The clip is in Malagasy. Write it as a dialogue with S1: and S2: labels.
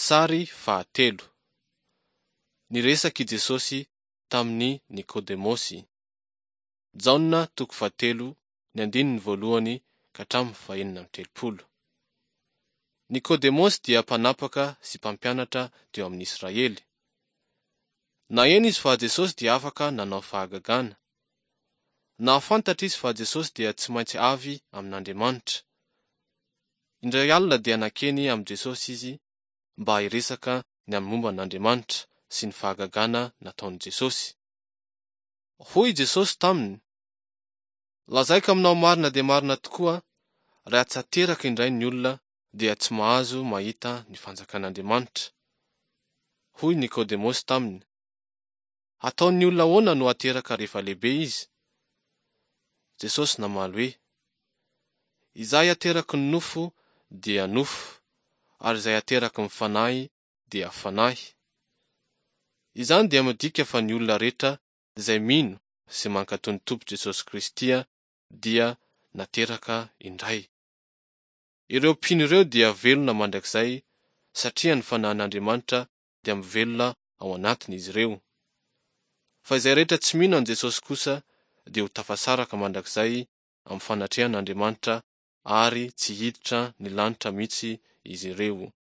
S1: Sary fahatelo. Niresaka i Jesosy tamin'i Nikodemosy. Jaona toko fahatelo ny andininy voalohany ka hatramin'ny fahenina amby telopolo. Nikodemosy dia mpanapaka sy mpampianatra teo amin'ny Israely. Naheno izy fa Jesosy dia afaka nanao fahagagana. Nahafantatra izy fa Jesosy dia tsy maintsy avy amin'Andriamanitra. Indray alina dia nankeny amin'i Jesosy izy mba hiresaka ny amin'ny momba an'Andriamanitra sy ny fahagagana nataon'i Jesosy. Hoy Jesosy taminy, Lazaiko aminao marina dia marina tokoa, raha tsy ateraka indray ny olona dia tsy mahazo mahita ny fanjakan'Andriamanitra. Hoy Nikodemosy taminy, Hataon'ny olona ahoana no hateraka rehefa lehibe izy? Jesosy namaly hoe, Izay ateraky ny nofo dia nofo, ary izay ateraky ny fanahy dia fanahy. Izany dia midika fa ny olona rehetra izay mino sy mankatò ny Tompo Jesosy Kristy dia nateraka indray. Ireo mpino ireo dia velona mandrakizay satria ny Fanahin'Andriamanitra dia mivelona ao anatin'izy ireo. Fa izay rehetra tsy mino an'i Jesosy kosa dia ho tafasaraka mandrakizay amin'ny fanatrehan'Andriamanitra ary tsy hiditra ny lanitra mihitsy izy ireo.